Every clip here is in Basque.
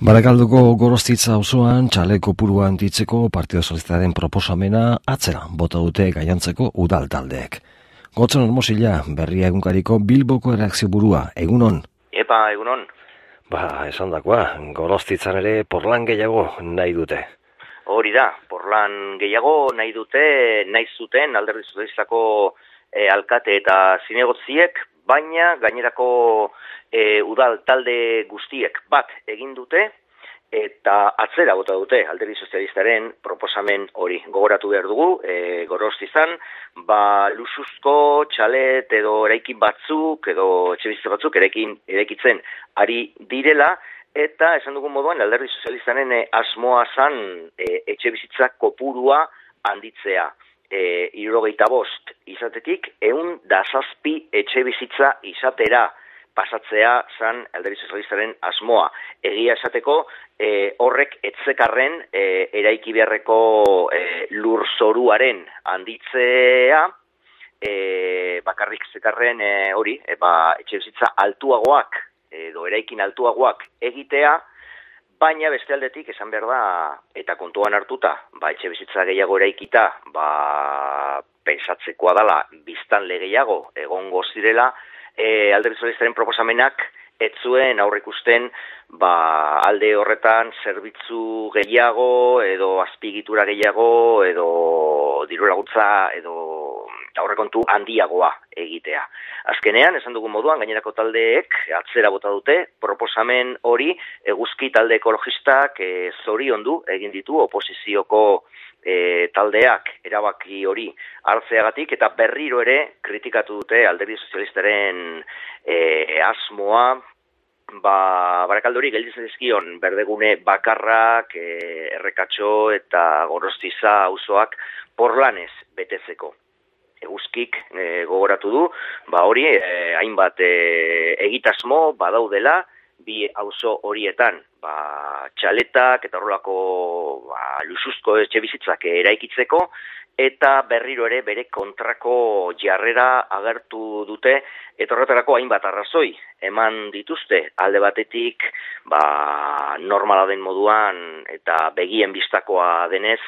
Barakalduko Gorostitza auzoan txale kopurua handitzeko Partido Sozialistaren proposamena atzera bota dute Gainontzeko udal taldeek. Gotzon Hermosilla, Berria egunkariko Bilboko erreakzio burua, egunon? Epa, egunon. Esandakoa, Gorostitzan ere porlan gehiago nahi dute. Hori da, porlan gehiago nahi dute, nahi zuten Alderdi Sozialistako alkate eta zinegotziek, baina gainerako udal talde guztiek bat egin dute eta atzera bota dute Alderdi Sozialistaren proposamen hori. Gogoratu behar dugu, Gorostizan, lusuzko txalet edo eraikin batzuk edo etxebizitza batzuk eraikitzen ari direla, eta esan dugun moduan Alderdi Sozialistaren asmoa zan etxebizitza kopurua handitzea. 75 izatetik 107 etxebizitza izatera pasatzea zan Alderdi Sozialistaren asmoa. Egia esateko horrek etzekarren eraiki beharreko lurzoruaren handitzea, bakarrik zekarren hori, etxebizitza altuagoak edo eraikin altuagoak egitea, baina beste aldetik esan behar da, eta kontuan hartuta, etxebizitza gehiago eraikita, pensatzekoa dela biztanle gehiago egongo zirela, Alderdi Sozialistaren proposamenak ez zuen aurreikusten alde horretan zerbitzu gehiago edo azpiegitura gehiago edo diru laguntza edo aurrekontu handiagoa egitea. Azkenean, esan dugun moduan, gainerako taldeek atzera bota dute, proposamen hori eguzki talde ekologistak zoriondu egin ditu oposizioko taldeak erabaki hori hartzeagatik eta berriro ere kritikatu dute Alderdi Sozialistaren asmoa, Barakaldori gelditzen dizkion berdegune bakarrak, Errekatxo eta Gorostiza auzoak porlanez betetzeko. Eguzkik gogoratu du, hori hainbat egitasmo badaudela, bi auzo horietan txaletak eta horrelako lusuzko etxebizitzak eraikitzeko, eta berriro ere bere kontrako jarrera agertu dute, eta horretarako hainbat arrazoi eman dituzte alde batetik, normala den moduan eta begien bistakoa denez,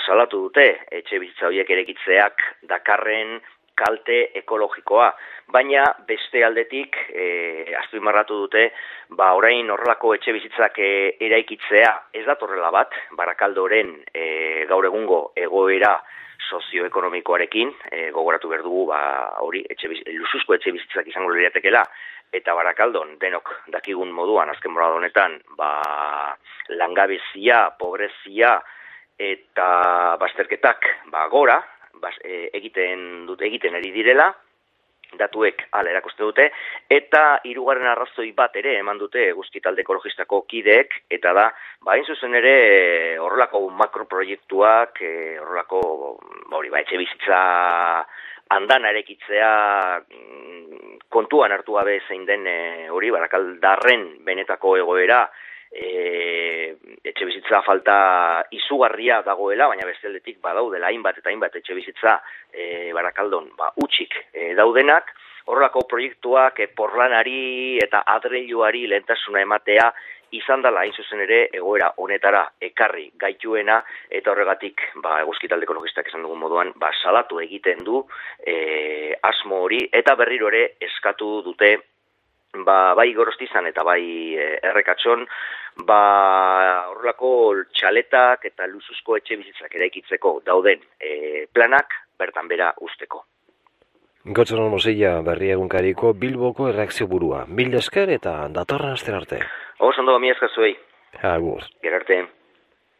salatu dute etxebizitza horiek eraikitzeak dakarren kalte ekologikoa, baina beste aldetik azpimarratu dute, orain horrelako etxebizitzak eraikitzea ez datorrela bat, Barakaldoren gaur egungo egoera sozioekonomikoarekin, gogoratu behar dugu, hori, lusuzko etxebizitzak izango liratekela, eta Barakaldon denok dakigun moduan, azken morada honetan, langabezia, pobrezia eta bazterketak gora, egiten ari direla, datuek hala erakuste dute, eta hirugarren arrazoi bat ere eman dute eguzki talde ekologistako kideek, eta da, hain zuzen ere horrelako makroproiektuak, horrelako etxebizitza andana erekitzea kontuan hartu gabe zein den hori, Barakaldarren benetako egoera, etxebizitza falta izugarria dagoela, baina besteldetik badaudela hainbat eta hainbat etxebizitza Barakaldon utxik daudenak, horrelako proiektuak porlanari eta adreiluari lehentasuna ematea izan dela hain zuzen ere egoera honetara ekarri gaituena, eta horregatik eguzki talde ekologistak esan dugun moduan salatu egiten du asmo hori, eta berriro ere eskatu dute bai Gorostizan eta bai Errekatxon, horrelako txaletak eta lusuzko etxebizitzak eraikitzeko dauden planak bertan bera usteko. Gotzon Hermosilla, Berria egunkariko Bilboko erreakzio burua. Mil esker eta datorren astera arte. Oso ondo, mi esker zuei. Agur. Gerarte.